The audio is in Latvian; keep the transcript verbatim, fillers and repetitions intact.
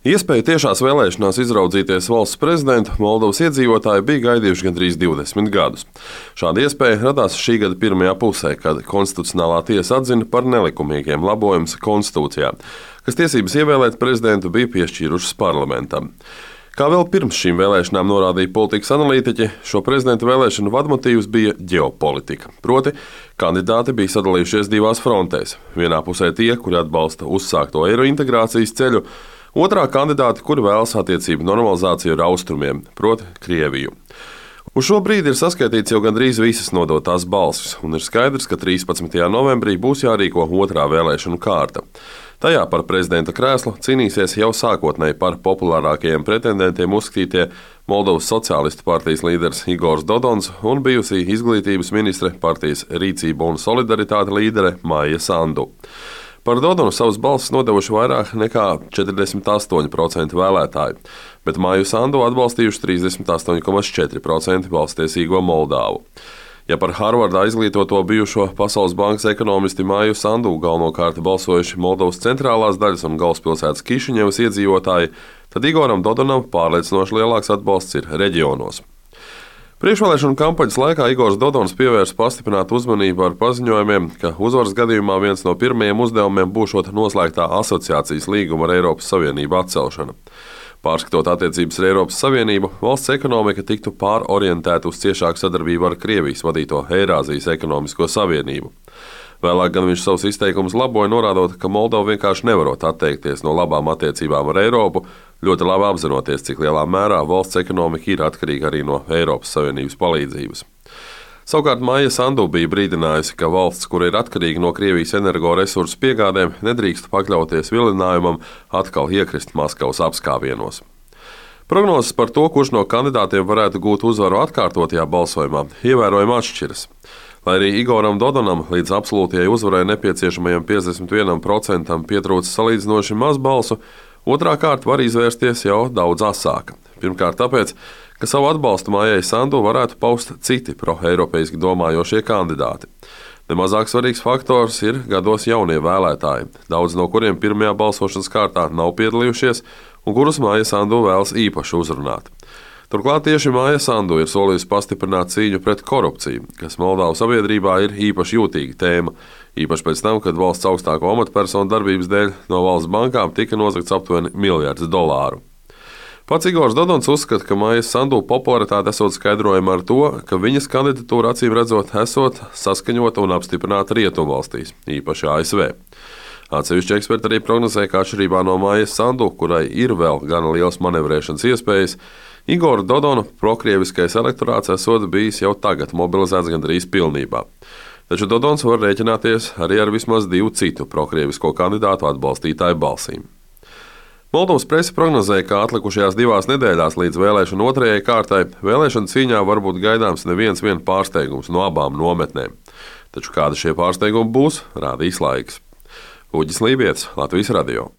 Iespēju tiešās vēlēšanās izraudzīties valsts prezidentu Moldovas iedzīvotāji bija gaidījuši gandrīz divdesmit gadus. Šāda iespēja radās šī gada pirmajā pusē, kad Konstitucionālā tiesa atzina par nelikumīgiem labojumus konstitūcijā, kas tiesības ievēlēt prezidentu bija piešķīrušas parlamentam. Kā vēl pirms šīm vēlēšanām norādīja politikas analītiķi, šo prezidentu vēlēšanu vadmotīvs bija ģeopolitika. Proti, kandidāti bija sadalījušies divās frontēs. Vienā pusē tie, kuri atbalsta uzsākto eiro integrācijas ceļu, otrā kandidāti, kuri vēlas attiecību normalizāciju ar austrumiem, proti Krieviju. Uz šo brīdi ir saskaitīts jau gandrīz visas nodotās balsis, un ir skaidrs, ka trīspadsmitajā novembrī būs jārīko otrā vēlēšanu kārta. Tajā par prezidenta krēslu cīnīsies jau sākotnēji par populārākajiem pretendentiem uzskatītie Moldovas Sociālistu partijas līderis Igors Dodons un bijusī izglītības ministre, partijas Rīcība un solidaritāte līdere Maija Sandu. Par Dodonu savas balsis nodevuši vairāk nekā četrdesmit astoņi procenti vēlētāju, bet Maiju Sandu atbalstījuši trīsdesmit astoņi komats četri procenti balstiesīgo Moldāvu. Ja par Harvardā izglītoto bijušo Pasaules bankas ekonomisti Maiju Sandu galvenokārt balsojuši Moldovas centrālās daļas un galvaspilsētas Kišiņevas iedzīvotāji, tad Igoram Dodonam pārliecinoši lielāks atbalsts ir reģionos. Priekšvēlēšanu kampaņas laikā Igors Dodons pievērsa pastiprinātu uzmanību ar paziņojumiem, ka uzvaras gadījumā viens no pirmajiem uzdevumiem būšot noslēgtā asociācijas līguma ar Eiropas Savienību atcelšana. Pārskatot attiecības ar Eiropas Savienību, valsts ekonomika tiktu pārorientēta uz ciešāku sadarbību ar Krievijas vadīto Eirāzijas ekonomisko savienību. Vēlāk gan viņš savus izteikumus laboja, norādot, ka Moldova vienkārši nevarot atteikties no labām attiecībām ar Eiropu, ļoti labi apzinoties, cik lielā mērā valsts ekonomika ir atkarīga arī no Eiropas Savienības palīdzības. Savukārt Maija Sandu bija brīdinājusi, ka valsts, kura ir atkarīga no Krievijas energoresursu piegādēm, nedrīkst pakļauties vilinājumam atkal iekrist Maskavas apskāvienos. Prognozes par to, kurš no kandidātiem varētu gūt uzvaru atkārtotajā balsojumā, ievērojami atšķiras. Lai arī Igoram Dodonam līdz absolūtajai uzvarai nepieciešamajam piecdesmit vienam procentam pietrūcis salīdzinoši maz balsu, otrā kārta var izvērsties jau daudz asāka. Pirmkārt tāpēc, ka savu atbalstu Maijai Sandu varētu paust citi pro-eiropeiski domājošie kandidāti. Nemazāk svarīgs faktors ir gados jaunie vēlētāji, daudz no kuriem pirmajā balsošanas kārtā nav piedalījušies un kurus Maija Sandu vēlas īpaši uzrunāt. Turklāt tieši Maija Sandu ir solījusi pastiprināt cīņu pret korupciju, kas Moldovas sabiedrībā ir īpaši jūtīga tēma, īpaši pēc tam, kad valsts augstāko amatpersonu darbības dēļ no valsts bankām tika nozagts aptuveni miljards dolāru. Pats Igors Dodons uzskata, ka Maija Sandu popularitāte esot skaidrojama ar to, ka viņas kandidatūra acīm redzot esot saskaņota un apstiprināta rietumvalstīs, īpaši A S V. Atsevišķi eksperti arī prognozē, ka atšķirībā no Maijas Sandu, kurai ir vēl gana liels manevrēšanas iespējas, Igora Dodona prokrieviskais elektorāts esot bijis jau tagad mobilizēts gandrīz pilnībā. Taču Dodons var rēķināties arī ar vismaz divu citu prokrievisko kandidātu atbalstītāju balsīm. Moldovas prese prognozēja, ka atlikušajās divās nedēļās līdz vēlēšanu otrajai kārtai vēlēšanu cīņā var būt gaidāms neviens vien pārsteigums no abām nometnēm. Taču kādi šie pārsteigumi būs, rādīs laiks. Uģis Lībietis, Latvijas radio.